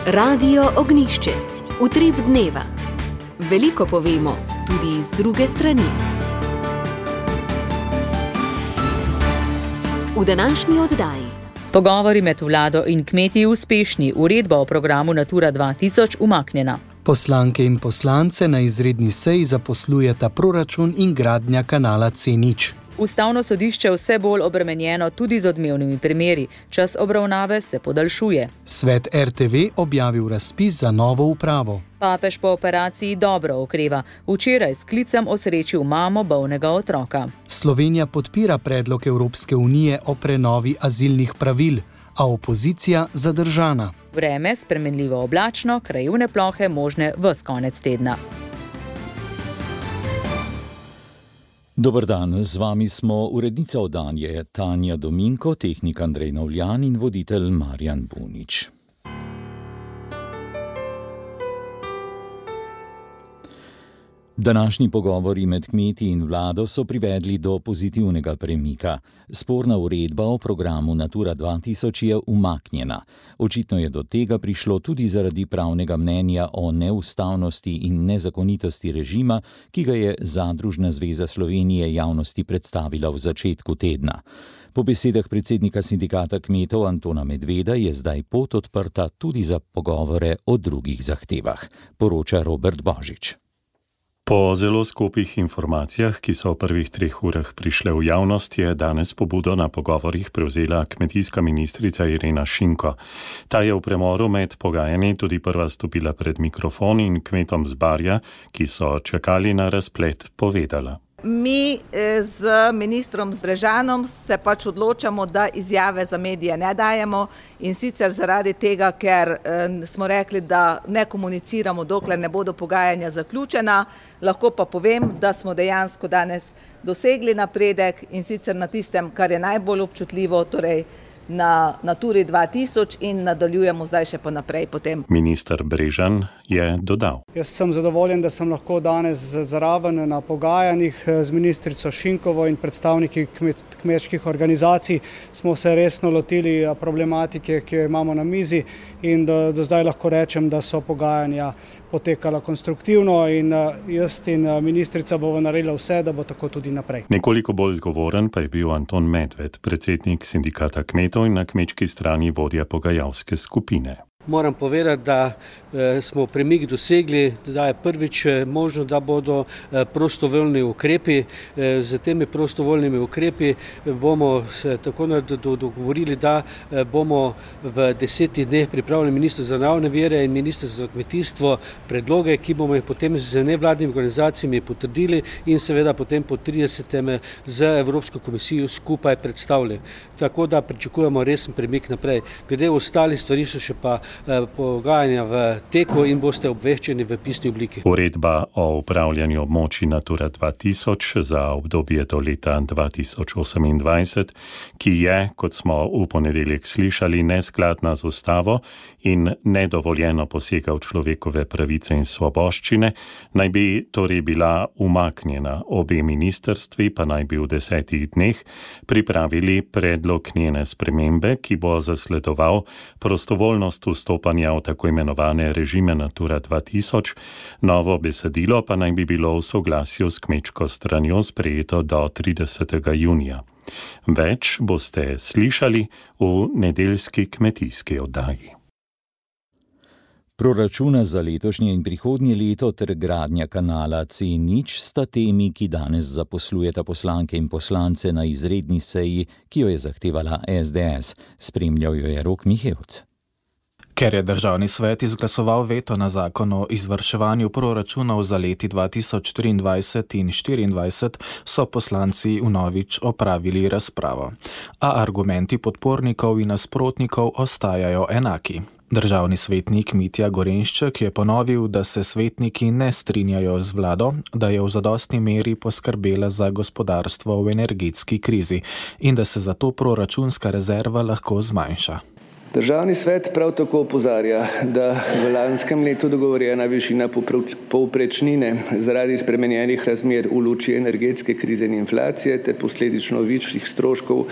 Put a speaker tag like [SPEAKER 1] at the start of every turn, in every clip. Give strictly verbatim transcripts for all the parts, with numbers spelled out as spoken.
[SPEAKER 1] Radio Ognišče, utrip dneva. Veliko povemo, tudi z druge strani. V današnji oddaji.
[SPEAKER 2] Pogovori med vlado in kmeti uspešni, uredba o programu Natura dva tisoč umaknjena.
[SPEAKER 3] Poslanke in poslance na izredni seji zaposlujeta proračun in gradnja kanala C nič.
[SPEAKER 2] Ustavno sodišče vse bolj obremenjeno tudi z odmevnimi primeri. Čas obravnave se podaljšuje.
[SPEAKER 3] Svet R T V objavil razpis za novo upravo.
[SPEAKER 2] Papež po operaciji dobro okreva. Včeraj s klicem osrečil mamo bolnega otroka.
[SPEAKER 3] Slovenija podpira predlog Evropske unije o prenovi azilnih pravil, a opozicija zadržana.
[SPEAKER 2] Vreme spremenljivo oblačno, krajevne plohe možne ves konec tedna.
[SPEAKER 4] Dober dan, z vami smo urednica oddanje Tanja Dominko, tehnik Andrej Novljan in voditelj Marjan Bunič. Današnji pogovori med kmeti in vlado so privedli do pozitivnega premika. Sporna uredba o programu Natura dva tisoč je umaknjena. Očitno je do tega prišlo tudi zaradi pravnega mnenja o neustavnosti in nezakonitosti režima, ki ga je Zadružna zveza Slovenije javnosti predstavila v začetku tedna. Po besedah predsednika sindikata kmetov Antona Medveda je zdaj pot odprta tudi za pogovore o drugih zahtevah, poroča Robert Božič.
[SPEAKER 5] Po zelo skupih informacijah, ki so v prvih treh urah prišle v javnost, je danes pobudo na pogovorih prevzela kmetijska ministrica Irena Šinko. Ta je v premoru med pogajanji tudi prva stopila pred mikrofon in kmetom z Barja, ki so čakali na razplet, povedala.
[SPEAKER 6] Mi z ministrom Brežanom se pač odločamo, da izjave za medije ne dajemo in sicer zaradi tega, ker smo rekli, da ne komuniciramo, dokler ne bodo pogajanja zaključena. Lahko pa povem, da smo dejansko danes dosegli napredek in sicer na tistem, kar je najbolj občutljivo, torej na Naturi dva tisoč in nadaljujemo zdaj še pa naprej potem.
[SPEAKER 5] Minister Brežan je dodal.
[SPEAKER 7] Jaz sem zadovoljen, da sem lahko danes zraven na pogajanjih z ministrico Šinkovo in predstavniki kmet, kmečkih organizacij. Smo se resno lotili problematike, ki jo imamo na mizi in do, do zdaj lahko rečem, da so pogajanja potekala konstruktivno in jaz in ministrica bomo naredila vse, da bo tako tudi naprej.
[SPEAKER 5] Nekoliko bolj zgovoren pa je bil Anton Medved, predsednik sindikata kmetov in na kmečki strani vodja pogajalske skupine.
[SPEAKER 8] Moram povedati, da smo premik dosegli, da je prvič možno, da bodo prostovoljni ukrepi. Z temi prostovoljnimi ukrepi bomo se tako dogovorili, da bomo v desetih dneh pripravili minister za naravne vire in minister za kmetijstvo predloge, ki bomo jih potem z nevladnimi organizacijami potrdili in seveda potem po tridesetem z Evropsko komisijo skupaj predstavili. Tako da pričakujemo resen premik naprej. Glede ostalih stvari so še pa pogajanja v teku in boste obveščeni v pisni obliki.
[SPEAKER 5] Uredba o upravljanju območij Natura dva tisoč za obdobje do leta dva tisoč osemindvajset, ki je, kot smo v ponedeljek slišali, neskladna z ustavo in nedovoljeno posega v človekove pravice in svoboščine, naj bi torej bila umaknjena. Obe ministrstvi pa naj bi v desetih dneh pripravili predlog njene spremembe, ki bo zasledoval prostovoljnost vstopanja v tako imenovane režime Natura dva tisoč, novo besedilo pa naj bi bilo v soglasju s kmečko stranjo sprejeto do tridesetega junija. Več boste slišali v nedeljski kmetijski oddaji.
[SPEAKER 4] Proračuna za letošnje in prihodnje leto ter gradnja kanala C nič sta temi, ki danes zaposlujeta poslanke in poslance na izredni seji, ki jo je zahtevala S D S. Spremljal jo je Rok Mihevc.
[SPEAKER 9] Ker je državni svet izglasoval veto na zakon o izvrševanju proračunov za leti dva tisoč triindvajset in štiriindvajset, so poslanci vnovič opravili razpravo. A argumenti podpornikov in nasprotnikov ostajajo enaki. Državni svetnik Mitja Gorenšček je ponovil, da se svetniki ne strinjajo z vlado, da je v zadostni meri poskrbela za gospodarstvo v energetski krizi in da se zato proračunska rezerva lahko zmanjša.
[SPEAKER 10] Državni svet prav tako opozarja, da v lanskem letu dogovorjena višina povprečnine zaradi spremenjenih razmer v luči energetske krize in inflacije ter posledično višjih stroškov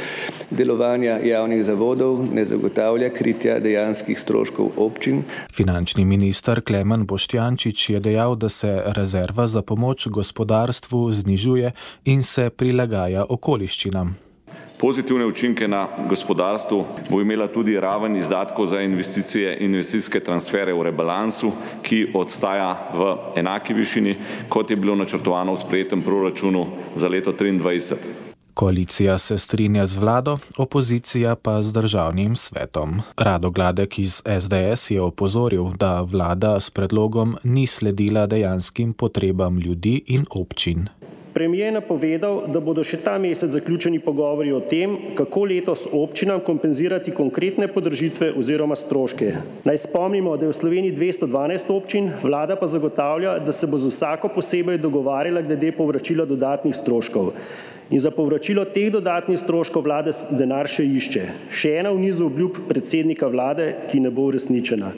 [SPEAKER 10] delovanja javnih zavodov ne zagotavlja kritja dejanskih stroškov občin.
[SPEAKER 9] Finančni minister Klemen Boštjančič je dejal, da se rezerva za pomoč gospodarstvu znižuje in se prilagaja okoliščinam.
[SPEAKER 11] Pozitivne učinke na gospodarstvu bo imela tudi raven izdatkov za investicije in investicijske transfere v rebalansu, ki ostaja v enaki višini, kot je bilo načrtovano v sprejetem proračunu za leto triindvajset.
[SPEAKER 9] Koalicija se strinja z vlado, opozicija pa z državnim svetom. Rado Gladek iz es de es je opozoril, da vlada s predlogom ni sledila dejanskim potrebam ljudi in občin.
[SPEAKER 12] Premier je napovedal, da bodo še ta mesec zaključeni pogovori o tem, kako letos občinam kompenzirati konkretne podražitve oziroma stroške. Naj spomnimo, da je v Sloveniji dvesto dvanajst občin, vlada pa zagotavlja, da se bo z vsako posebej dogovarjala glede povračila dodatnih stroškov. In za povračilo teh dodatnih stroškov vlada denar še išče. Še ena v nizu obljub predsednika vlade, ki ne bo uresničena.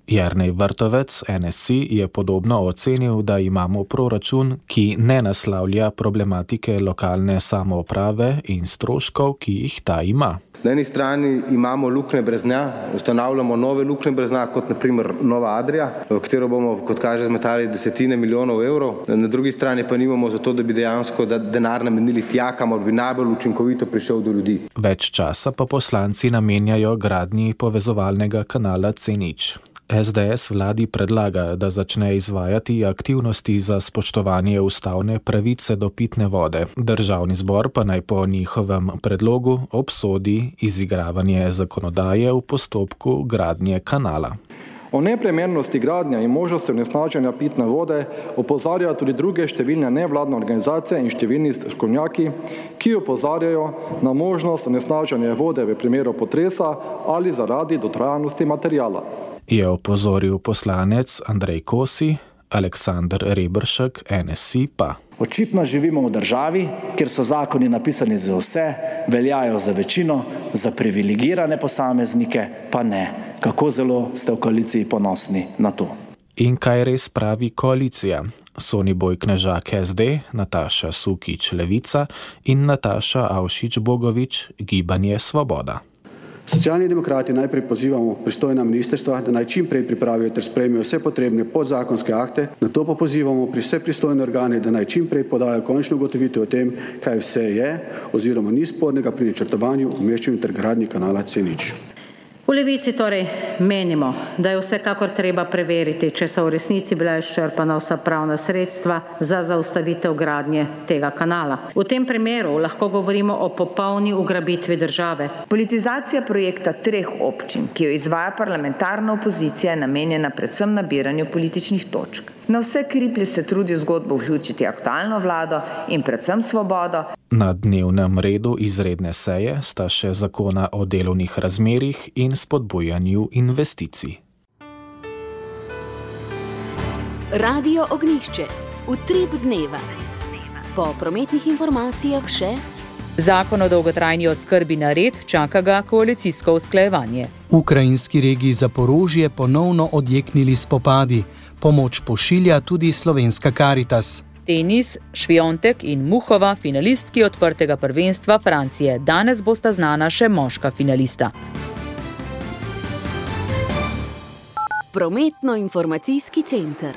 [SPEAKER 9] Jernej Vrtovec, en es i, je podobno ocenil, da imamo proračun, ki ne naslavlja problematike lokalne samouprave in stroškov, ki jih ta ima.
[SPEAKER 13] Na eni strani imamo luknje brez dna, ustanavljamo nove luknje brez dna, kot na primer Nova Adria, v katero bomo, kot kaže, zmetali desetine milijonov evrov. Na drugi strani pa nimamo za to, da bi dejansko denar namenili tja, kamor bi najbolj učinkovito prišel do ljudi.
[SPEAKER 9] Več časa pa poslanci namenjajo gradnji povezovalnega kanala C nič. es de es vladi predlaga, da začne izvajati aktivnosti za spoštovanje ustavne pravice do pitne vode. Državni zbor pa naj po njihovem predlogu obsodi izigravanje zakonodaje v postopku gradnje kanala.
[SPEAKER 14] O neprimernosti gradnje in možnosti onesnaženja pitne vode opozarjajo tudi druge številne nevladne organizacije in številni strokovnjaki, ki opozarjajo na možnost onesnaženja vode v primeru potresa ali zaradi dotrajanosti materiala.
[SPEAKER 9] Je opozoril poslanec Andrej Kosi, Aleksander Reberšek, en es i pa.
[SPEAKER 15] Očitno živimo v državi, kjer so zakoni napisani za vse, veljajo za večino, za privilegirane posameznike pa ne. Kako zelo ste v koaliciji ponosni na to?
[SPEAKER 9] In kaj res pravi koalicija? Soniboj Knežak es de, Nataša Sukič Levica in Nataša Avšič Bogovič Gibanje Svoboda.
[SPEAKER 16] Socialni demokrati najprej pozivamo pristojna ministrstva, da naj čim prej pripravijo ter sprejmejo vse potrebne podzakonske akte, nato pa pozivamo pri vse pristojne organe, da naj čim prej podajo končno ugotovitev o tem, kaj vse je oziroma ni spornega pri načrtovanju, umeščanju ter gradnji kanala C nič.
[SPEAKER 17] V Levici torej menimo, da je vsekakor treba preveriti, če so v resnici bila izčrpana vsa pravna sredstva za zaustavitev gradnje tega kanala. V tem primeru lahko govorimo o popolni ugrabitvi države.
[SPEAKER 18] Politizacija projekta treh občin, ki jo izvaja parlamentarna opozicija, je namenjena predvsem nabiranju političnih točk. Na vse kriplje se trudi v zgodbo vključiti aktualno vlado in predvsem Svobodo.
[SPEAKER 9] Na dnevnem redu izredne seje sta še zakona o delovnih razmerjih in spodbujanju investicij.
[SPEAKER 1] Radio Ognjišče. Utrip dneva. Po prometnih informacijah še
[SPEAKER 2] Zakon o dolgotrajni oskrbi na red, čaka ga koalicijsko usklajevanje.
[SPEAKER 3] V ukrajinski regiji Zaporožje ponovno odjeknili spopadi. Pomoč pošilja tudi slovenska Karitas.
[SPEAKER 2] Tenis, Šviontek in Muhova, finalistki odprtega prvenstva Francije. Danes bosta znana še moška finalista.
[SPEAKER 1] Prometno-informacijski center.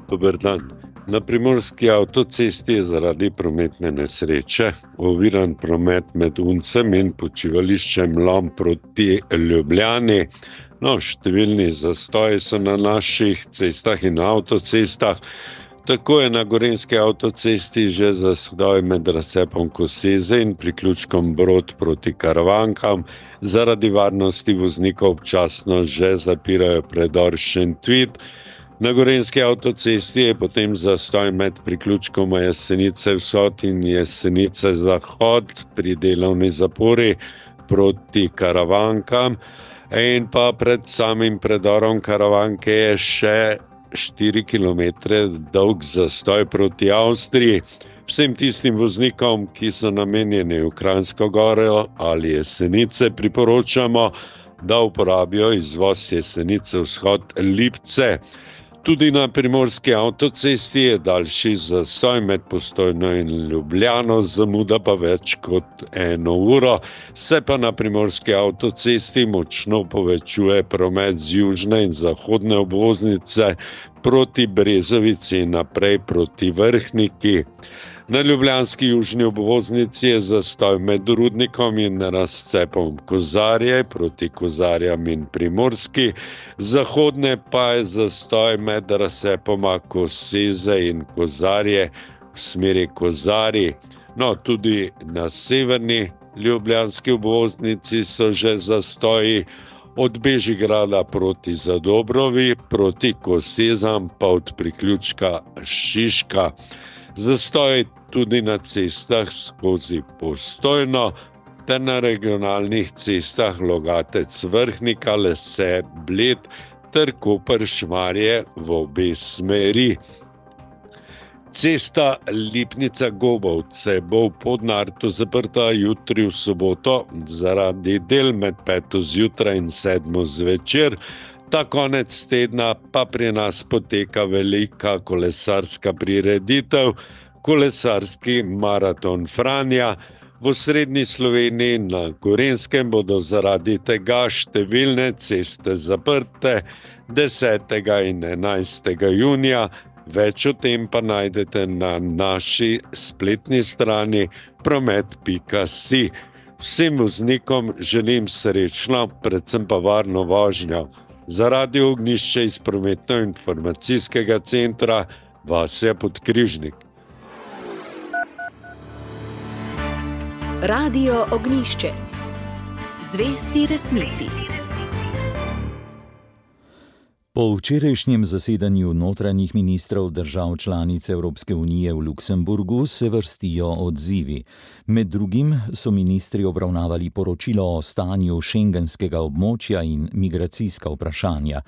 [SPEAKER 19] Dober dan. Na primorski avtocesti je zaradi prometne nesreče oviran promet med Uncem in počivališčem Lom proti Ljubljani. No, številni zastoji so na naših cestah in avtocestah. Tako je na gorenjski avtocesti že zastoj med razcepom Koseze in priključkom Brod proti Karavankam. Zaradi varnosti voznikov občasno že zapirajo predor Šentvid. Na gorenjski avtocesti je potem zastoj med priključkoma Jesenice vzhod in Jesenice zahod pri delovni zapori proti Karavankam. In pa pred samim predorom Karavanke je še štiri kilometre dolg zastoj proti Avstriji. Vsem tistim voznikom, ki so namenjeni v Kranjsko Goro ali Jesenice, priporočamo, da uporabijo izvoz Jesenice vzhod Lipce. Tudi na primorski avtocesti je daljši zastoj med Postojno in Ljubljano, zamuda pa več kot eno uro. Se pa na primorski avtocesti močno povečuje promet z južne in zahodne obvoznice proti Brezovici in naprej proti Vrhniki. Na ljubljanski južni obvoznici je zastoj med Rudnikom in razcepom Kozarje proti Kozarjam in Primorski, zahodne pa je zastoj med razcepoma Koseze in Kozarje v smeri Kozarji. No, tudi na severni ljubljanski obvoznici so že zastoji od Bežigrada proti Zadobrovi, proti Kosezam pa od priključka Šiška. Zastoj tudi na cestah skozi Postojno ter na regionalnih cestah Logatec Vrhnika, Lese, Bled ter Koper Šmarje v obe smeri. Cesta Lipnica-Gobovce bo v Podnartu zaprta jutri v soboto zaradi del med peto zjutraj in sedmo zvečer. Ta konec tedna pa pri nas poteka velika kolesarska prireditev, kolesarski maraton Franja. V osrednji Sloveniji na Gorenjskem bodo zaradi tega številne ceste zaprte desetega in enajstega junija. Več o tem pa najdete na naši spletni strani promet pika si. Vsem voznikom želim srečno, predvsem pa varno vožnjo. Za Radio Ognjišče iz prometno-informacijskega centra Vasja Podkrižnik.
[SPEAKER 1] Radio Ognjišče. Zvesti resnici.
[SPEAKER 4] Po včerajšnjem zasedanju notranjih ministrov držav članic Evropske unije v Luksemburgu se vrstijo odzivi. Med drugim so ministri obravnavali poročilo o stanju šengenskega območja in migracijska vprašanja.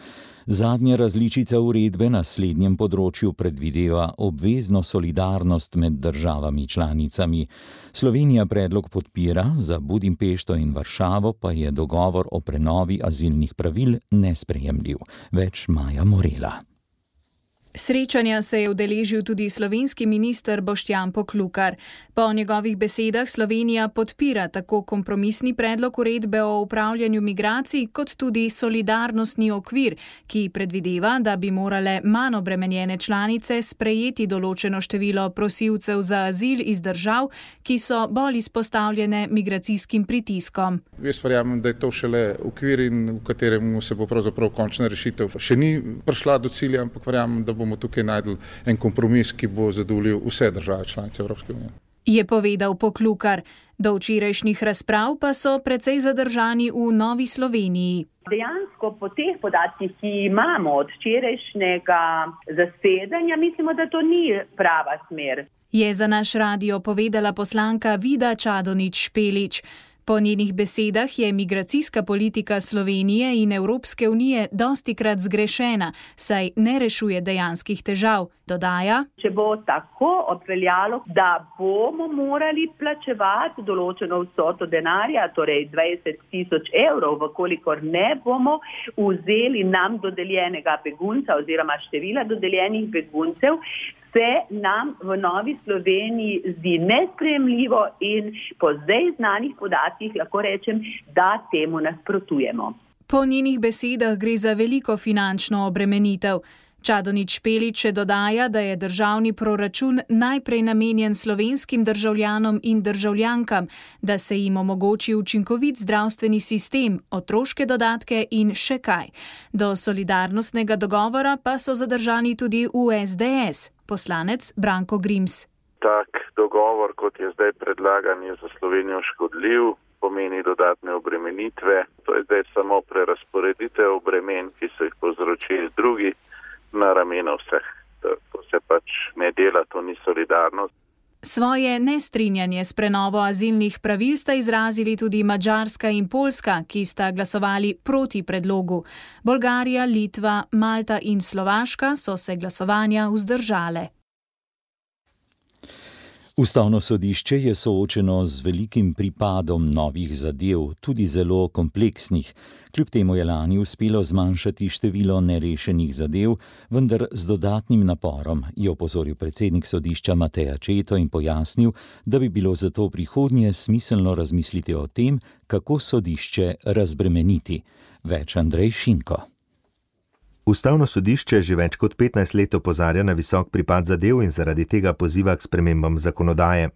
[SPEAKER 4] Zadnja različica uredbe na slednjem področju predvideva obvezno solidarnost med državami članicami. Slovenija predlog podpira, za Budimpešto in Varšavo pa je dogovor o prenovi azilnih pravil nesprejemljiv. Več Maja Morela.
[SPEAKER 20] Srečanja se je udeležil tudi slovenski minister Boštjan Poklukar. Po njegovih besedah Slovenija podpira tako kompromisni predlog uredbe o upravljanju migracij, kot tudi solidarnostni okvir, ki predvideva, da bi morale manj obremenjene članice sprejeti določeno število prosilcev za azil iz držav, ki so bolj izpostavljene migracijskim pritiskom.
[SPEAKER 21] Jaz verjamem, da je to šele okvir, in v katerem se bo pravzaprav končna rešitev še ni prišla do cilja, ampak verjamem, da bomo tukaj najdli en kompromis, ki bo zadovoljil vse države članice Evropske unije.
[SPEAKER 20] Je povedal Poklukar. Do včerajšnjih razprav pa so precej zadržani v Novi Sloveniji.
[SPEAKER 22] Dejansko po teh podatkih, ki imamo od včerajšnjega zasedanja, mislimo, da to ni prava smer.
[SPEAKER 20] Je za naš radio povedala poslanka Vida Čadonič Špelič. Po njenih besedah je migracijska politika Slovenije in Evropske unije dostikrat zgrešena, saj ne rešuje dejanskih težav. Dodaja:
[SPEAKER 22] Če bo tako obveljalo, da bomo morali plačevati določeno vsoto denarja, torej dvajset tisoč evrov, vkolikor ne bomo vzeli nam dodeljenega begunca oziroma števila dodeljenih beguncev, se nam v Novi Sloveniji zdi nesprejemljivo in po zdaj znanih podatkih lahko rečem, da temu nasprotujemo.
[SPEAKER 20] Po njenih besedah gre za veliko finančno obremenitev. Čadonič Špelič še dodaja, da je državni proračun najprej namenjen slovenskim državljanom in državljankam, da se jim omogoči učinkovit zdravstveni sistem, otroške dodatke in še kaj. Do solidarnostnega dogovora pa so zadržani tudi v es de es. Poslanec Branko Grims.
[SPEAKER 23] Tak dogovor, kot je zdaj predlagan, je za Slovenijo škodljiv, pomeni dodatne obremenitve. To je zdaj samo prerazporeditev bremen, ki so jih povzročili drugi, na ramena vseh. To se pač ne dela, to ni solidarnost.
[SPEAKER 20] Svoje nestrinjanje s prenovo azilnih pravil sta izrazili tudi Madžarska in Poljska, ki sta glasovali proti predlogu. Bolgarija, Litva, Malta in Slovaška so se glasovanja vzdržale.
[SPEAKER 4] Ustavno sodišče je soočeno z velikim pripadom novih zadev, tudi zelo kompleksnih. Kljub temu je lani uspelo zmanjšati število nerešenih zadev, vendar z dodatnim naporom, je opozoril predsednik sodišča Matej Accetto in pojasnil, da bi bilo zato v prihodnje smiselno razmisliti o tem, kako sodišče razbremeniti. Več Andrej Šinko.
[SPEAKER 6] Ustavno sodišče že več kot petnajst let opozarja na visok pripad zadev in zaradi tega poziva k spremembam zakonodaje.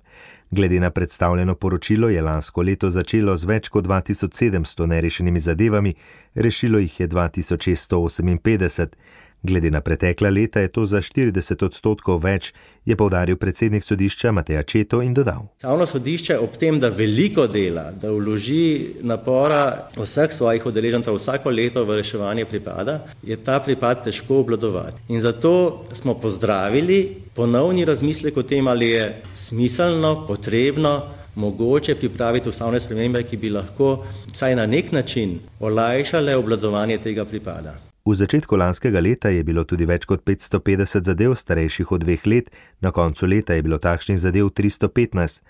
[SPEAKER 6] Glede na predstavljeno poročilo je lansko leto začelo z več kot dva tisoč sedemsto nerešenimi zadevami, rešilo jih je dva tisoč šeststo oseminpetdeset. Glede na pretekla leta je to za štirideset odstotkov več, je poudaril predsednik sodišča Matej Accetto in dodal.
[SPEAKER 7] Ustavno sodišče ob tem, da veliko dela, da vloži napora vseh svojih udeležencev vsako leto v reševanje pripada, je ta pripad težko obvladovati. In zato smo pozdravili ponovni razmislek o tem, ali je smiselno, potrebno, mogoče pripraviti ustavne spremembe, ki bi lahko vsaj na nek način olajšale obvladovanje tega pripada.
[SPEAKER 6] V začetku lanskega leta je bilo tudi več kot petsto petdeset zadev starejših od dveh let, na koncu leta je bilo takšnih zadev tristo petnajst.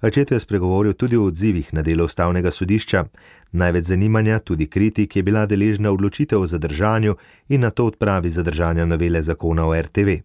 [SPEAKER 6] Accetto je spregovoril tudi o odzivih na delo ustavnega sodišča. Največ zanimanja, tudi kritik, je bila deležna odločitev o zadržanju in nato odpravi zadržanja novele zakona o R T V.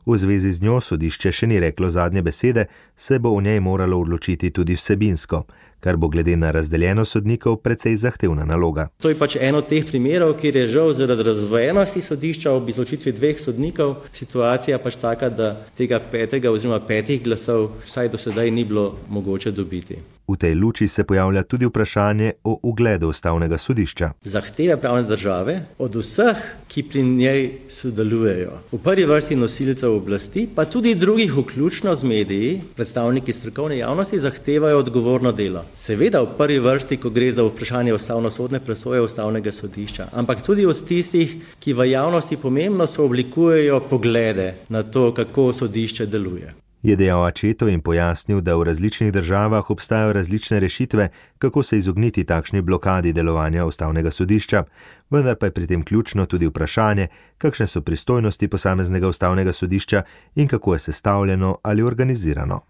[SPEAKER 6] V zvezi z njo sodišče še ni reklo zadnje besede, se bo o njej moralo odločiti tudi vsebinsko, kar bo glede na razdeljeno sodnikov precej zahtevna naloga.
[SPEAKER 7] To je pač eno od teh primerov, kjer je žal zaradi razdvojenosti sodišča ob izločitvi dveh sodnikov situacija pač taka, da tega petega oziroma petih glasov vsaj do sedaj ni bilo mogoče dobiti.
[SPEAKER 6] V tej luči se pojavlja tudi vprašanje o ugledu ustavnega sodišča.
[SPEAKER 7] Zahteve pravne države od vseh, ki pri njej sodelujejo, v prvi vrsti nosilcev oblasti, pa tudi drugih, vključno z mediji, predstavniki strokovne javnosti, zahtevajo odgovorno delo. Seveda v prvi vrsti, ko gre za vprašanje ustavnosodne presoje ustavnega sodišča, ampak tudi od tistih, ki v javnosti pomembno sooblikujejo poglede na to, kako sodišče deluje.
[SPEAKER 6] Je dejal Accetto in pojasnil, da v različnih državah obstajajo različne rešitve, kako se izogniti takšni blokadi delovanja ustavnega sodišča, vendar pa je pri tem ključno tudi vprašanje, kakšne so pristojnosti posameznega ustavnega sodišča in kako je sestavljeno ali organizirano.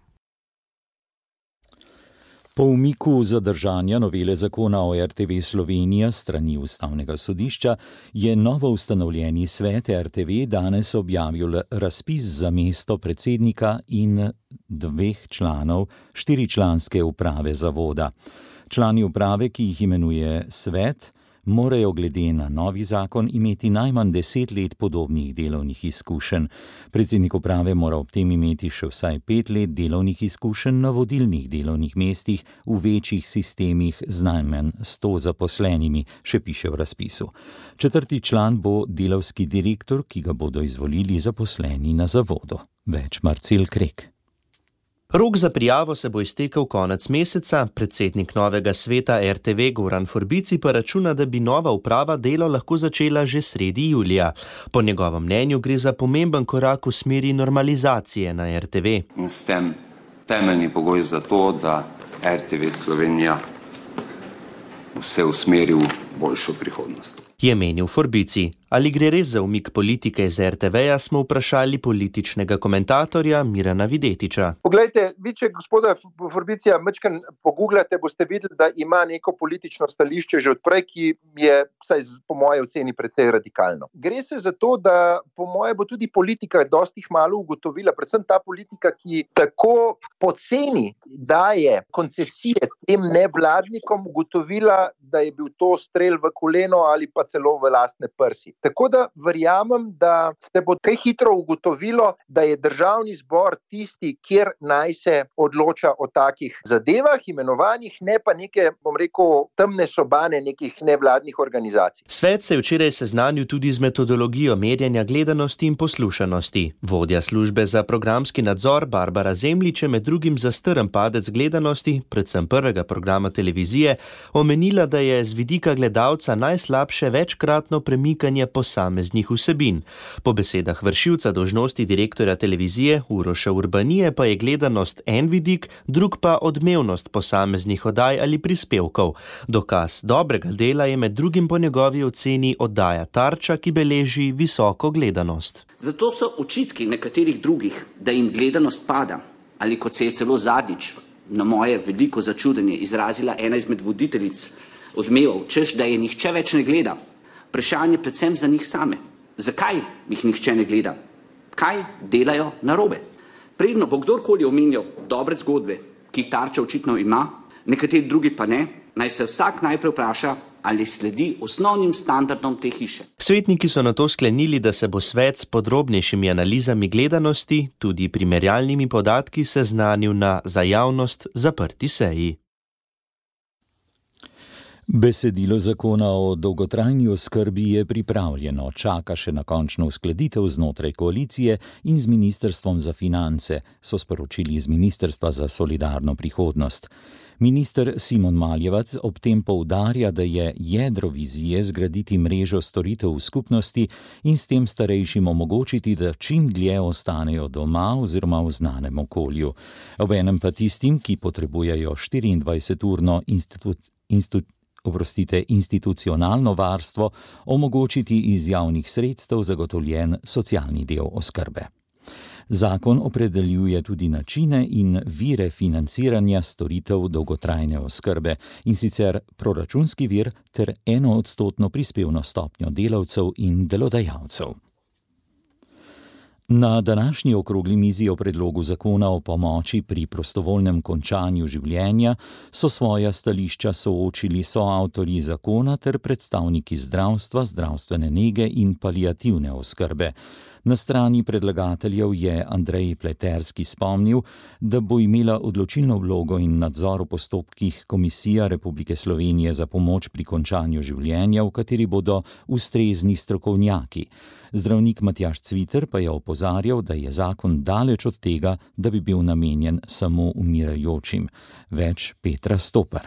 [SPEAKER 4] Po umiku zadržanja novele zakona o R T V Slovenija strani ustavnega sodišča je novo ustanovljeni svet R T V danes objavil razpis za mesto predsednika in dveh članov štiričlanske uprave zavoda. Člani uprave, ki jih imenuje svet, morajo glede na novi zakon imeti najmanj deset let podobnih delovnih izkušenj. Predsednik uprave mora ob tem imeti še vsaj pet let delovnih izkušenj na vodilnih delovnih mestih v večjih sistemih z najmanj sto zaposlenimi, še piše v razpisu. Četrti član bo delavski direktor, ki ga bodo izvolili zaposleni na zavodu. Več Marcel Krek.
[SPEAKER 8] Rok za prijavo se bo iztekel konec meseca, predsednik novega sveta R T V Goran Forbici pa računa, da bi nova uprava delo lahko začela že sredi julija. Po njegovem mnenju gre za pomemben korak v smeri normalizacije na R T V.
[SPEAKER 24] In s tem temeljni pogoj za to, da R T V Slovenija vse usmeri v boljšo prihodnost.
[SPEAKER 8] Je menil Forbici. Ali gre res za umik politike iz R T V-ja, smo vprašali političnega komentatorja Mirana Videtiča.
[SPEAKER 25] Poglejte, vi če gospoda Forbicija mečkan pogooglate, boste videli, da ima neko politično stališče že odprej, ki je, vsaj po moje oceni, precej radikalno. Gre se za to, da po moje bo tudi politika dosti malo ugotovila, predvsem ta politika, ki tako poceni daje koncesije tem nevladnikom, ugotovila, da je bil to strel v koleno ali pa celo v lastne prsi. Tako da verjamem, da se bo kaj hitro ugotovilo, da je državni zbor tisti, kjer naj se odloča o takih zadevah, imenovanjih, ne pa neke, bom rekel, temne sobane nekih nevladnih organizacij.
[SPEAKER 8] Svet se je včeraj seznanil tudi z metodologijo merjenja gledanosti in poslušanosti. Vodja službe za programski nadzor Barbara Zemljič je med drugim za strm padec gledanosti, predvsem prvega programa televizije, omenila, da je z vidika gledalca najslabše večkratno premikanje posameznih vsebin. Po besedah vršilca dolžnosti direktorja televizije Uroša Urbanije pa je gledanost en vidik, drug pa odmevnost posameznih oddaj ali prispevkov. Dokaz dobrega dela je med drugim po njegovi oceni oddaja Tarča, ki beleži visoko gledanost.
[SPEAKER 26] Zato so očitki nekaterih drugih, da jim gledanost pada,
[SPEAKER 5] ali kot se je celo zadnjič na moje veliko začudenje izrazila ena izmed voditeljic Odmevov, češ, da je nihče več ne gleda. Vprašanje predvsem za njih same. Zakaj jih nihče ne gleda? Kaj delajo narobe? Predno bo kdorkoli omenjal dobre zgodbe, ki jih Tarča očitno ima, nekateri drugi pa ne, naj se vsak najprej vpraša, ali sledi osnovnim standardom te hiše.
[SPEAKER 8] Svetniki so nato sklenili, da se bo svet s podrobnejšimi analizami gledanosti, tudi primerjalnimi podatki, seznanil na za javnost zaprti seji.
[SPEAKER 4] Besedilo zakona o dolgotrajni oskrbi je pripravljeno, čaka še na končno uskladitev znotraj koalicije in z Ministrstvom za finance, so sporočili iz Ministrstva za solidarno prihodnost. Minister Simon Maljevac ob tem poudarja, da je jedro vizije zgraditi mrežo storitev v skupnosti in s tem starejšim omogočiti, da čim dlje ostanejo doma oziroma v znanem okolju. Obenem pa tistim, ki potrebujejo štiriindvajseturno institu- institu- oprostite, institucionalno varstvo, omogočiti iz javnih sredstev zagotovljen socialni del oskrbe. Zakon opredeljuje tudi načine in vire financiranja storitev dolgotrajne oskrbe, in sicer proračunski vir ter enoodstotno prispevno stopnjo delavcev in delodajalcev. Na današnji okrogli mizi o predlogu zakona o pomoči pri prostovoljnem končanju življenja so svoja stališča soočili soavtorji zakona ter predstavniki zdravstva, zdravstvene nege in paliativne oskrbe. Na strani predlagateljev je Andrej Pleterski spomnil, da bo imela odločilno vlogo in nadzor v postopkih Komisija Republike Slovenije za pomoč pri končanju življenja, v kateri bodo ustrezni strokovnjaki. Zdravnik Matjaž Cviter pa je opozarjal, da je zakon daleč od tega, da bi bil namenjen samo umirajočim. Več Petra Stopar.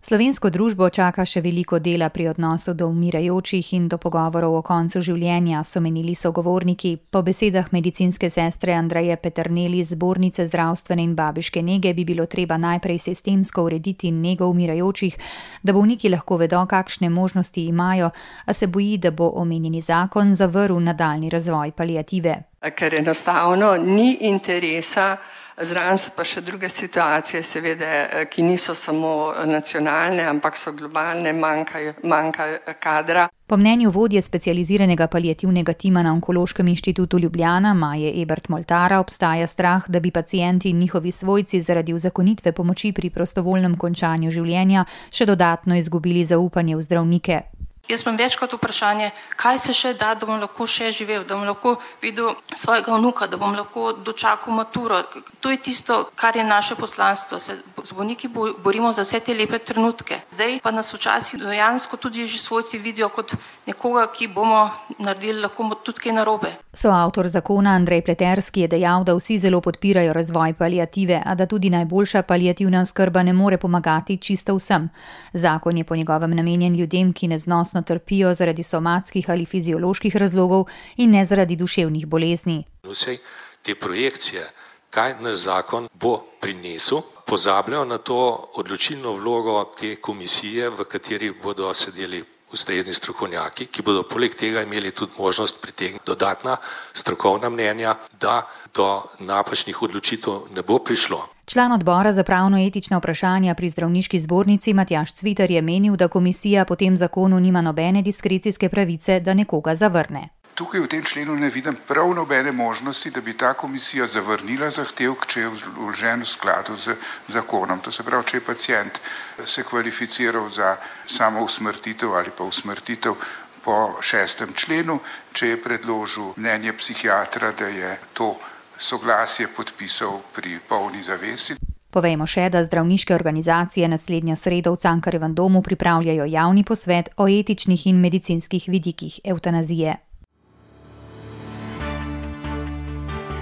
[SPEAKER 10] Slovensko družbo čaka še veliko dela pri odnosu do umirajočih in do pogovorov o koncu življenja, so menili sogovorniki. Po besedah medicinske sestre Andreje Peterneli iz Zbornice zdravstvene in babiške nege bi bilo treba najprej sistemsko urediti nego umirajočih, da bolniki lahko vedo, kakšne možnosti imajo, a se boji, da bo omenjeni zakon zavrl nadaljnji razvoj paliative.
[SPEAKER 11] Ker enostavno ni interesa. Zraven so pa še druge situacije, seveda, ki niso samo nacionalne, ampak so globalne, manjka, manjka kadra.
[SPEAKER 10] Po mnenju vodje specializiranega paliativnega tima na Onkološkem inštitutu Ljubljana, Maje Ebert Moltara, obstaja strah, da bi pacienti in njihovi svojci zaradi uzakonitve pomoči pri prostovoljnem končanju življenja še dodatno izgubili zaupanje v zdravnike.
[SPEAKER 12] Jaz imam večkrat vprašanje, kaj se še da, da bom lahko še živel, da bom lahko videl svojega vnuka, da bom lahko dočakal maturo. To je tisto, kar je naše poslanstvo. Se z bolniki borimo za vse te lepe trenutke. Zdaj pa nas včasih dejansko tudi že svojci vidijo kot nekoga, ki bomo naredili lahko tudi kaj narobe.
[SPEAKER 10] Soavtor zakona Andrej Pleterski je dejal, da vsi zelo podpirajo razvoj paliative, a da tudi najboljša paliativna oskrba ne more pomagati čisto vsem. Zakon je po njegovem namenjen ljudem, ki neznosno trpijo zaradi somatskih ali fizioloških razlogov in ne zaradi duševnih bolezni.
[SPEAKER 13] Vse te projekcije, kaj naš zakon bo prinesel, pozabljajo na to odločilno vlogo te komisije, v kateri bodo sedeli ustrezni strokovnjaki, ki bodo poleg tega imeli tudi možnost pritegniti dodatna strokovna mnenja, da do napačnih odločitev ne bo prišlo.
[SPEAKER 10] Član odbora za pravno-etična vprašanja pri zdravniški zbornici Matjaž Cviter je menil, da komisija po tem zakonu nima nobene diskrecijske pravice, da nekoga zavrne.
[SPEAKER 26] Tukaj v tem členu ne vidim prav nobene možnosti, da bi ta komisija zavrnila zahtevek, če je vložen v skladu z zakonom. To se pravi, če je pacient se kvalificiral za samo usmrtitev ali pa usmrtitev po šestem členu, če je predložil mnenje psihiatra, da je to soglasje podpisal pri polni zavesti.
[SPEAKER 10] Povejmo še, da zdravniške organizacije naslednjo sredo v Cankarjevem domu pripravljajo javni posvet o etičnih in medicinskih vidikih evtanazije.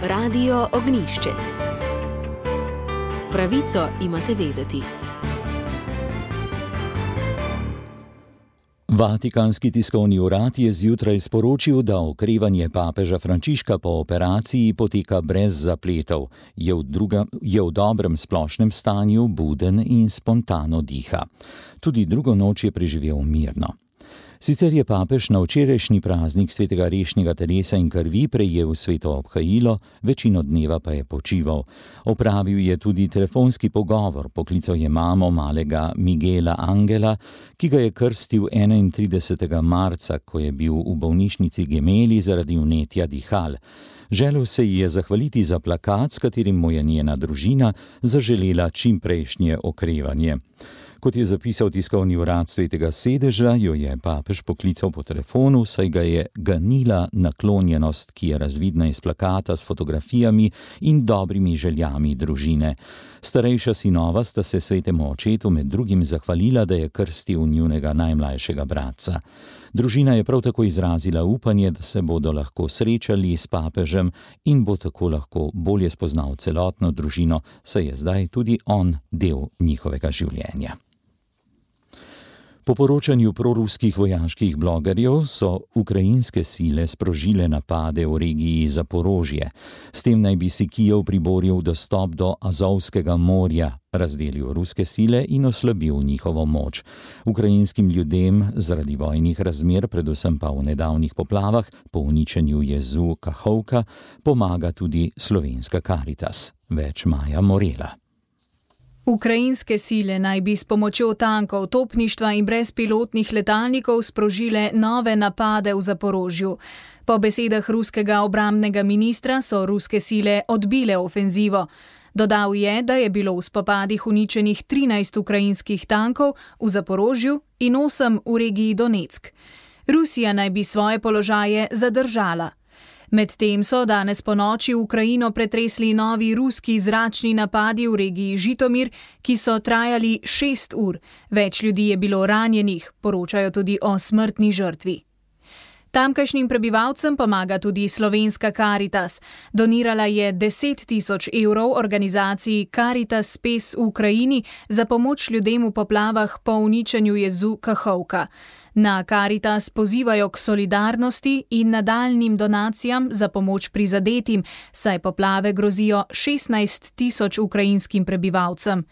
[SPEAKER 1] Radio Ognjišče. Pravico imate vedeti.
[SPEAKER 4] Vatikanski tiskovni urad je zjutraj sporočil, da okrevanje papeža Frančiška po operaciji poteka brez zapletov, je v, druga, je v dobrem splošnem stanju, buden in spontano diha. Tudi drugo noč je preživel mirno. Sicer je papež na včerajšnji praznik svetega rešnjega telesa in krvi prejel sveto obhajilo, večino dneva pa je počival. Opravil je tudi telefonski pogovor, poklical je mamo malega Miguela Angela, ki ga je krstil enaintridesetega marca, ko je bil v bolnišnici Gemelli zaradi vnetja dihal. Želel se ji je zahvaliti za plakat, s katerim mu je njena družina zaželela čimprejšnje okrevanje. Kot je zapisal tiskovni urad Svetega sedeža, jo je papež poklical po telefonu, saj ga je ganila naklonjenost, ki je razvidna iz plakata s fotografijami in dobrimi željami družine. Starejša sinova sta se svetemu očetu med drugim zahvalila, da je krstil njunega najmlajšega bratca. Družina je prav tako izrazila upanje, da se bodo lahko srečali s papežem in bo tako lahko bolje spoznal celotno družino, saj je zdaj tudi on del njihovega življenja. Po poročanju proruskih vojaških blogerjev so ukrajinske sile sprožile napade v regiji Zaporožje. S tem naj bi si Kijev priboril dostop do Azovskega morja, razdelil ruske sile in oslabil njihovo moč. Ukrajinskim ljudem zaradi vojnih razmer, predvsem pa v nedavnih poplavah, po uničenju jezu Kahovka, pomaga tudi slovenska Karitas. Več Maja Morela.
[SPEAKER 20] Ukrajinske sile naj bi s pomočjo tankov, topništva in brezpilotnih letalnikov sprožile nove napade v Zaporožju. Po besedah ruskega obrambnega ministra so ruske sile odbile ofenzivo. Dodal je, da je bilo v spopadih uničenih trinajst ukrajinskih tankov v Zaporožju in osem v regiji Donetsk. Rusija naj bi svoje položaje zadržala. Medtem so danes ponoči v Ukrajino pretresli novi ruski zračni napadi v regiji Žitomir, ki so trajali šest ur. Več ljudi je bilo ranjenih, poročajo tudi o smrtni žrtvi. Tamkajšnjim prebivalcem pomaga tudi slovenska Karitas. Donirala je deset tisoč evrov organizaciji Karitas Spes v Ukrajini za pomoč ljudem v poplavah po uničenju jezu Kahovka. Na Karitas pozivajo k solidarnosti in nadaljnjim donacijam za pomoč prizadetim, saj poplave grozijo šestnajst tisoč ukrajinskim prebivalcem.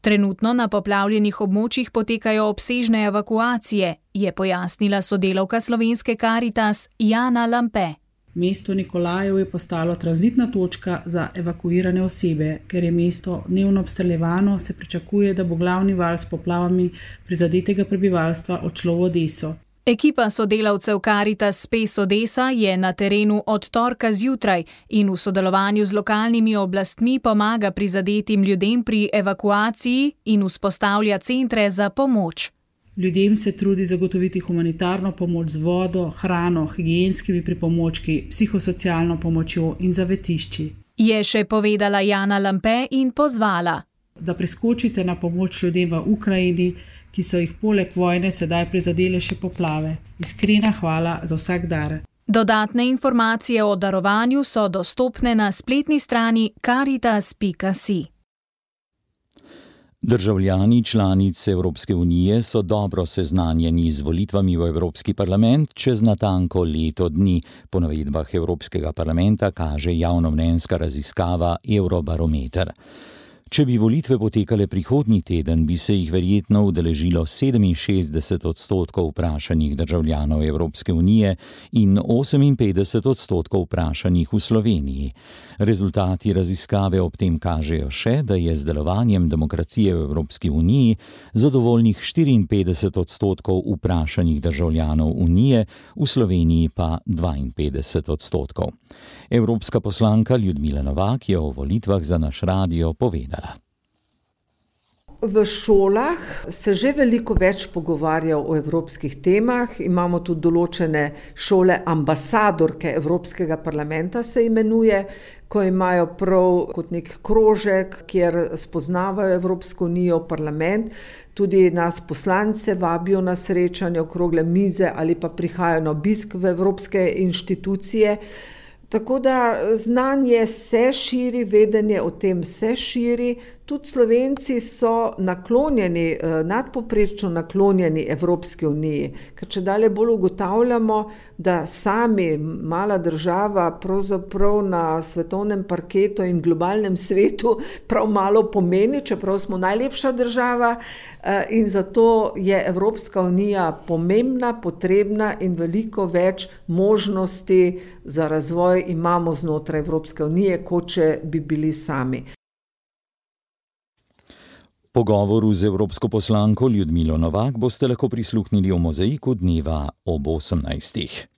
[SPEAKER 20] Trenutno na poplavljenih območjih potekajo obsežne evakuacije, je pojasnila sodelavka slovenske Karitas Jana Lampe.
[SPEAKER 9] Mesto Nikolajev je postalo tranzitna točka za evakuirane osebe. Ker je mesto dnevno obstreljevano, se pričakuje, da bo glavni val s poplavami prizadetega prebivalstva odšlo v Odeso.
[SPEAKER 20] Ekipa sodelavcev Karitas Spes Odesa je na terenu od torka zjutraj in v sodelovanju z lokalnimi oblastmi pomaga prizadetim ljudem pri evakuaciji in vzpostavlja centre za pomoč.
[SPEAKER 9] Ljudem se trudi zagotoviti humanitarno pomoč z vodo, hrano, higienskimi pripomočki, psihosocialno pomočjo in zavetišči.
[SPEAKER 20] Je še povedala Jana Lampe in pozvala,
[SPEAKER 9] da priskočite na pomoč ljudem v Ukrajini, ki so jih poleg vojne sedaj prizadele še poplave. Iskrena hvala za vsak dar.
[SPEAKER 20] Dodatne informacije o darovanju so dostopne na spletni strani karitas pika si.
[SPEAKER 4] Državljani članic Evropske unije so dobro seznanjeni z volitvami v Evropski parlament čez natanko leto dni. Po navedbah Evropskega parlamenta kaže javnomnenjska raziskava Eurobarometer. Če bi volitve potekale prihodnji teden, bi se jih verjetno udeležilo sedeminšestdeset odstotkov vprašanih državljanov Evropske unije in oseminpetdeset odstotkov vprašanih v Sloveniji. Rezultati raziskave ob tem kažejo še, da je z delovanjem demokracije v Evropski uniji zadovoljnih štiriinpetdeset odstotkov vprašanih državljanov unije, v Sloveniji pa dvainpetdeset odstotkov. Evropska poslanka Ljudmila Novak je o volitvah za naš radio povedala.
[SPEAKER 14] V šolah se že veliko več pogovarja o evropskih temah. Imamo tudi določene šole ambasadorke Evropskega parlamenta, se imenuje, ko imajo prav kot nek krožek, kjer spoznavajo Evropsko unijo, parlament. Tudi nas poslance vabijo na srečanje, okrogle mize ali pa prihajajo na obisk v evropske inštitucije. Tako da znanje se širi, vedenje o tem se širi, Tudi Slovenci so naklonjeni, nadpoprečno naklonjeni Evropski uniji, ker če dalje bolj ugotavljamo, da sami mala država pravzaprav na svetovnem parketu in globalnem svetu prav malo pomeni, čeprav smo najlepša država, in zato je Evropska unija pomembna, potrebna in veliko več možnosti za razvoj imamo znotraj Evropske unije, kot če bi bili sami.
[SPEAKER 4] Pogovoru z evropsko poslanko Ljudmilo Novak boste lahko prisluhnili v Mozaiku dneva ob osemnajstih.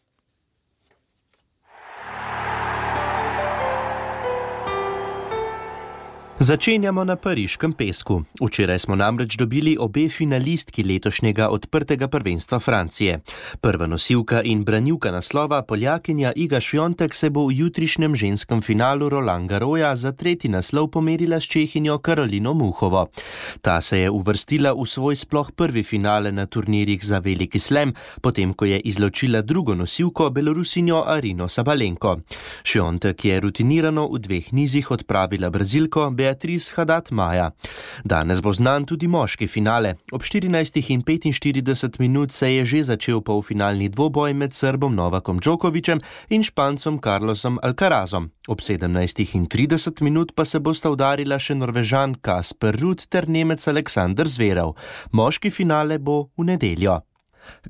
[SPEAKER 8] Začenjamo na pariškem pesku. Včeraj smo namreč dobili obe finalistki letošnjega odprtega prvenstva Francije. Prva nosilka in branilka naslova, Poljakinja Iga Świątek, se bo v jutrišnjem ženskem finalu Roland Garrosa za tretji naslov pomerila s Čehinjo Karolino Muchovo. Ta se je uvrstila v svoj sploh prvi finale na turnirjih za veliki slam, potem ko je izločila drugo nosilko, Belorusinjo Arino Sabalenko. Świątek je rutinirano v dveh nizih odpravila Brazilko Beatrice Haddad-Maja. Danes bo znan tudi moški finale. Ob štirinajstih in petinštirideset minut se je že začel polfinalni dvoboj med Srbom Novakom Djokovićem in Špancom Carlosom Alcarazom. Ob sedemnajstih in trideset minut pa se bosta udarila še Norvežan Kasper Ruud ter Nemec Aleksander Zverev. Moški finale bo v nedeljo.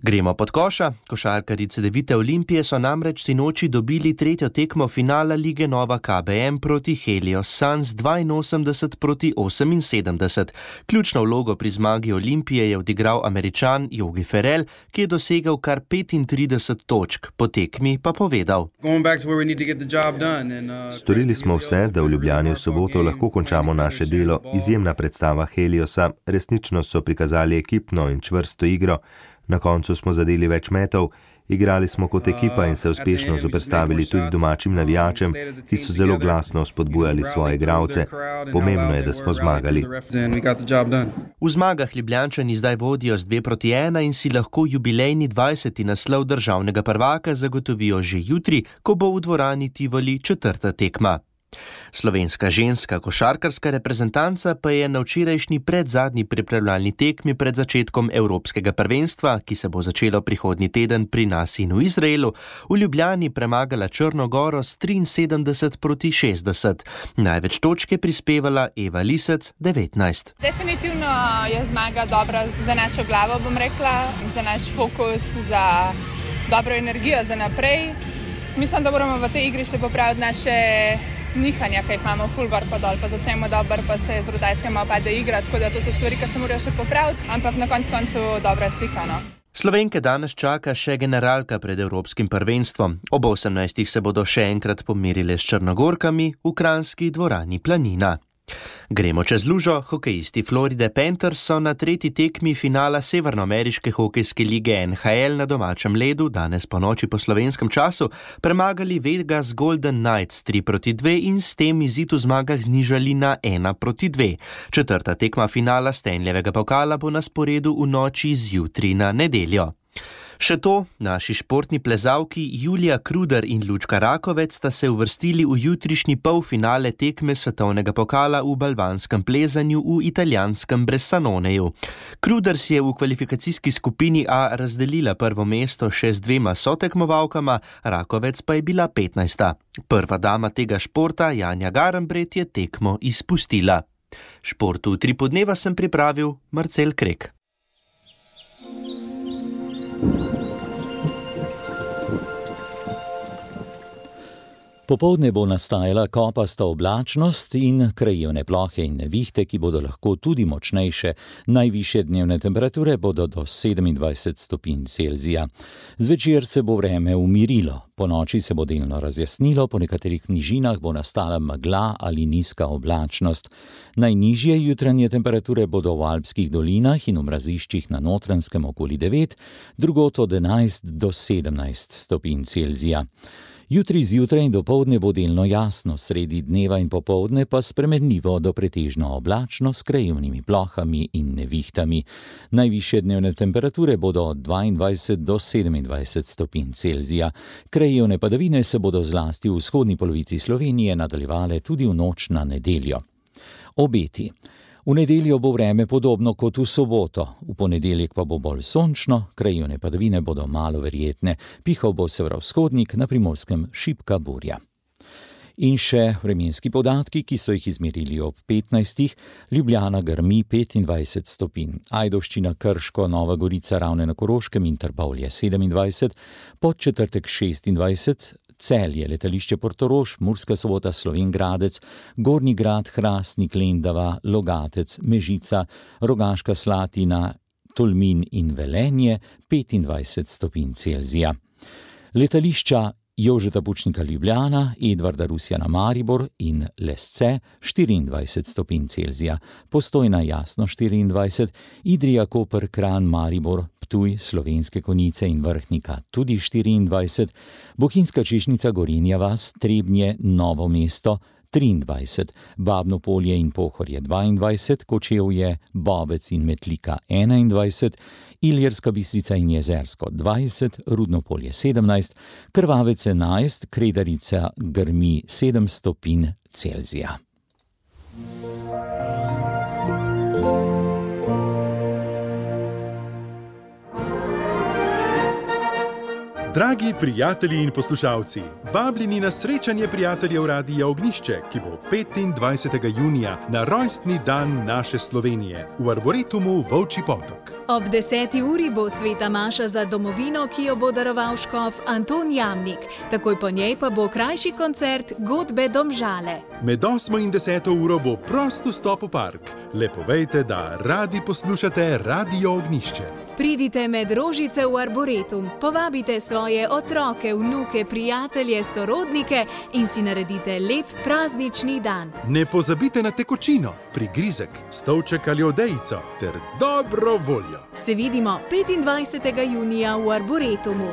[SPEAKER 8] Gremo pod koša. Košarkarji Cedevite Olimpije so namreč sinoči dobili tretjo tekmo finala Lige Nova K B M proti Helios Suns dvainosemdeset proti oseminsedemdeset. Ključno vlogo pri zmagi Olimpije je odigral Američan Yogi Ferrell, ki je dosegel kar petintrideset točk, po tekmi pa povedal:
[SPEAKER 6] Storili smo vse, da v Ljubljani v soboto lahko končamo naše delo. Izjemna predstava Heliosa, resnično so prikazali ekipno in čvrsto igro. Na koncu smo zadeli več metov, igrali smo kot ekipa in se uspešno zoperstavili tudi domačim navijačem, ki so zelo glasno spodbujali svoje igralce. Pomembno je, da smo zmagali.
[SPEAKER 8] V zmagah Ljubljančani zdaj vodijo z dve proti ena in si lahko jubilejni dvajseti naslov državnega prvaka zagotovijo že jutri, ko bo v dvorani Tivoli četrta tekma. Slovenska ženska košarkarska reprezentanca pa je na včerajšnji predzadnji pripravljalni tekmi pred začetkom Evropskega prvenstva, ki se bo začelo prihodnji teden pri nas in v Izraelu, v Ljubljani premagala Črno Goro s triinsedemdeset proti šestdeset. Največ točk je prispevala Eva Lisec, devetnajst.
[SPEAKER 2] Definitivno je zmaga dobra za našo glavo, bom rekla, za naš fokus, za dobro energijo za naprej. Mislim, da moramo v tej igri še popraviti naše nihanja, ki jih imamo ful gor pa dol, pa začnemo dober, pa se z rotacijama opade igra, tako da to so stvari, ki se morajo še popraviti, ampak na koncu koncu dobra slika, no.
[SPEAKER 8] Slovenke danes čaka še generalka pred Evropskim prvenstvom. Ob osemnajstih se bodo še enkrat pomerile s Črnogorkami v kranjski dvorani Planina. Gremo čez lužo. Hokejisti Floride Panthers so na tretji tekmi finala Severnoameriške hokejske lige N H L na domačem ledu danes po noči po slovenskem času premagali Vegas Golden Knights tri proti dve in s tem izid v zmagah znižali na ena proti dve. Četrta tekma finala Stanleyjevega pokala bo na sporedu v noči z jutri na nedeljo. Še to, naši športni plezalki Julija Kruder in Lučka Rakovec sta se uvrstili v jutrišnji polfinale tekme svetovnega pokala v balvanskem plezanju v italijanskem Bressanoneju. Kruder si je v kvalifikacijski skupini A razdelila prvo mesto še z dvema sotekmovalkama, Rakovec pa je bila petnajsta. Prva dama tega športa, Janja Garambret, je tekmo izpustila. Športu tri podneva sem pripravil Marcel Krek.
[SPEAKER 4] Popoldne bo nastajala kopasta oblačnost in krajevne plohe in nevihte, ki bodo lahko tudi močnejše. Najvišje dnevne temperature bodo do sedemindvajset stopinj Celzija. Zvečer se bo vreme umirilo. Ponoči se bo delno razjasnilo, po nekaterih nižinah bo nastala megla ali nizka oblačnost. Najnižje jutranje temperature bodo v alpskih dolinah in v mraziščih na Notranjskem okoli devet, drugod od enajst do sedemnajst stopinj Celzija. Jutri zjutraj in dopoldne bo delno jasno, sredi dneva in popoldne pa spremenljivo do pretežno oblačno s krajevnimi plohami in nevihtami. Najvišje dnevne temperature bodo od dvaindvajset do sedemindvajset stopinj Celzija. Krajevne padavine se bodo zlasti v vzhodni polovici Slovenije nadaljevale tudi v noč na nedeljo. Obeti. V nedeljo bo vreme podobno kot v soboto, v ponedeljek pa bo bolj sončno, krajevne padavine bodo malo verjetne, pihal bo severovzhodnik, na Primorskem šibka burja. In še vremenski podatki, ki so jih izmerili ob petnajstih. Ljubljana grmi petindvajset stopinj, Ajdovščina, Krško, Nova Gorica, Ravne na Koroškem in Trbovlje sedemindvajset, Podčetrtek šestindvajset, Celje, letališče Portorož, Murska Sobota, Slovenj Gradec, Gornji Grad, Hrastnik, Lendava, Logatec, Mežica, Rogaška Slatina, Tolmin in Velenje petindvajset stopinj Celzija. Letališča Jožeta Pučnika Ljubljana, Edvarda Rusjana Maribor in Lesce štiriindvajset stopinj Celzija, Postojna Jasno štiriindvajset, Idrija, Koper, Kranj, Maribor, Ptuj, Slovenske Konjice in Vrhnika tudi štiriindvajset, Bohinjska Češnjica, Gorenja vas, Trebnje, Novo mesto triindvajset, Babno Polje in Pohorje dvaindvajset, Kočevje, Bobec in Metlika enaindvajset, Ilirska Bistrica in Jezersko dvajset, Rudno Polje sedemnajst, Krvavec enajst, Kredarica grmi sedem stopinj Celzija.
[SPEAKER 3] Dragi prijatelji in poslušalci, vabljeni na srečanje prijateljev Radia Ognjišče, ki bo petindvajsetega junija na rojstni dan naše Slovenije v Arboretumu Volčji Potok.
[SPEAKER 20] Ob deseti uri bo sveta maša za domovino, ki jo bo daroval škof Anton Jamnik. Takoj po njej pa bo krajši koncert Godbe Domžale.
[SPEAKER 3] Med osmo in deseto uro bo prost vstop v park. Le povejte, da radi poslušate Radio Ognjišče.
[SPEAKER 20] Pridite med rožice v Arboretum, povabite svoje otroke, vnuke, prijatelje, sorodnike in si naredite lep praznični dan.
[SPEAKER 3] Ne pozabite na tekočino, prigrizek, stolček ali odejico ter dobro voljo.
[SPEAKER 20] Se vidimo petindvajsetega junija v Arboretumu.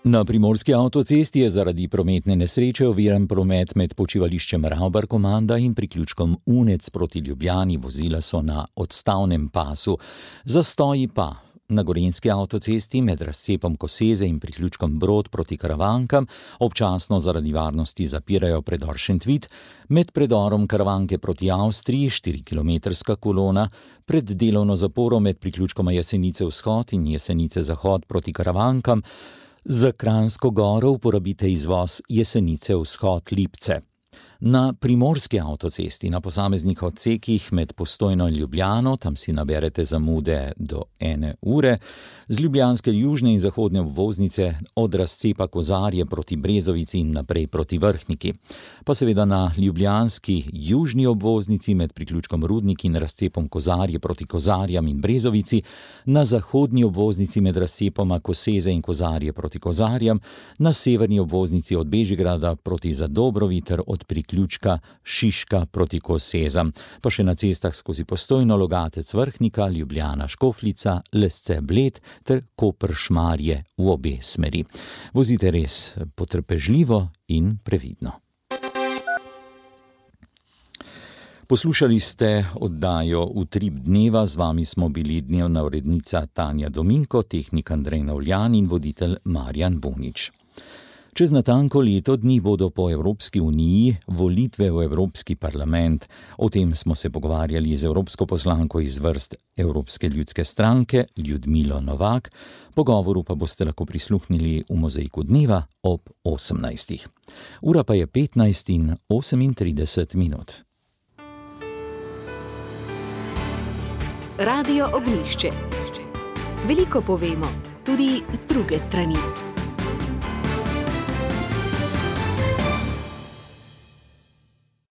[SPEAKER 4] Na primorski avtocesti je zaradi prometne nesreče oviran promet med počivališčem Ravbar-Komanda in priključkom Unec proti Ljubljani. Vozila so na odstavnem pasu. Zastoji pa na gorenjski avtocesti med razcepom Koseze in priključkom Brod proti Karavankam, občasno zaradi varnosti zapirajo predor Šentvid, med predorom Karavanke proti Avstriji štirikilometrska kolona, pred delovno zaporo med priključkoma Jesenice vzhod in Jesenice zahod proti Karavankam. Za Kranjsko Goro uporabite izvoz Jesenice vzhod Lipce. Na primorski avtocesti na posameznih odsekih med Postojno in Ljubljano, tam si naberete zamude do ene ure, z ljubljanske južne in zahodne obvoznice od razcepa Kozarje proti Brezovici in naprej proti Vrhniki. Pa seveda na ljubljanski južni obvoznici med priključkom Rudnik in razcepom Kozarje proti Kozarjam in Brezovici, na zahodni obvoznici med razcepoma Koseze in Kozarje proti Kozarjam, na severni obvoznici od Bežigrada proti Zadobrovi ter od priključka Šiška proti Kosezam, pa še na cestah skozi Postojno, Logatec, Vrhnika, Ljubljana, Škofljica, Lesce, Bled ter Koper, Šmarje v obe smeri. Vozite res potrpežljivo in previdno. Poslušali ste oddajo Utrip dneva, z vami smo bili dnevna urednica Tanja Dominko, tehnik Andrej Navljan in voditelj Marjan Bunič. Čez natanko leto dni bodo po Evropski uniji volitve v Evropski parlament. O tem smo se pogovarjali z evropsko poslanko iz vrst Evropske ljudske stranke Ljudmilo Novak. Pogovoru pa boste lahko prisluhnili v Mozaiku dneva ob osemnajstih. Ura pa je petnajst in osemintrideset minut.
[SPEAKER 1] Radio Ognjišče. Veliko povemo, tudi z druge strani.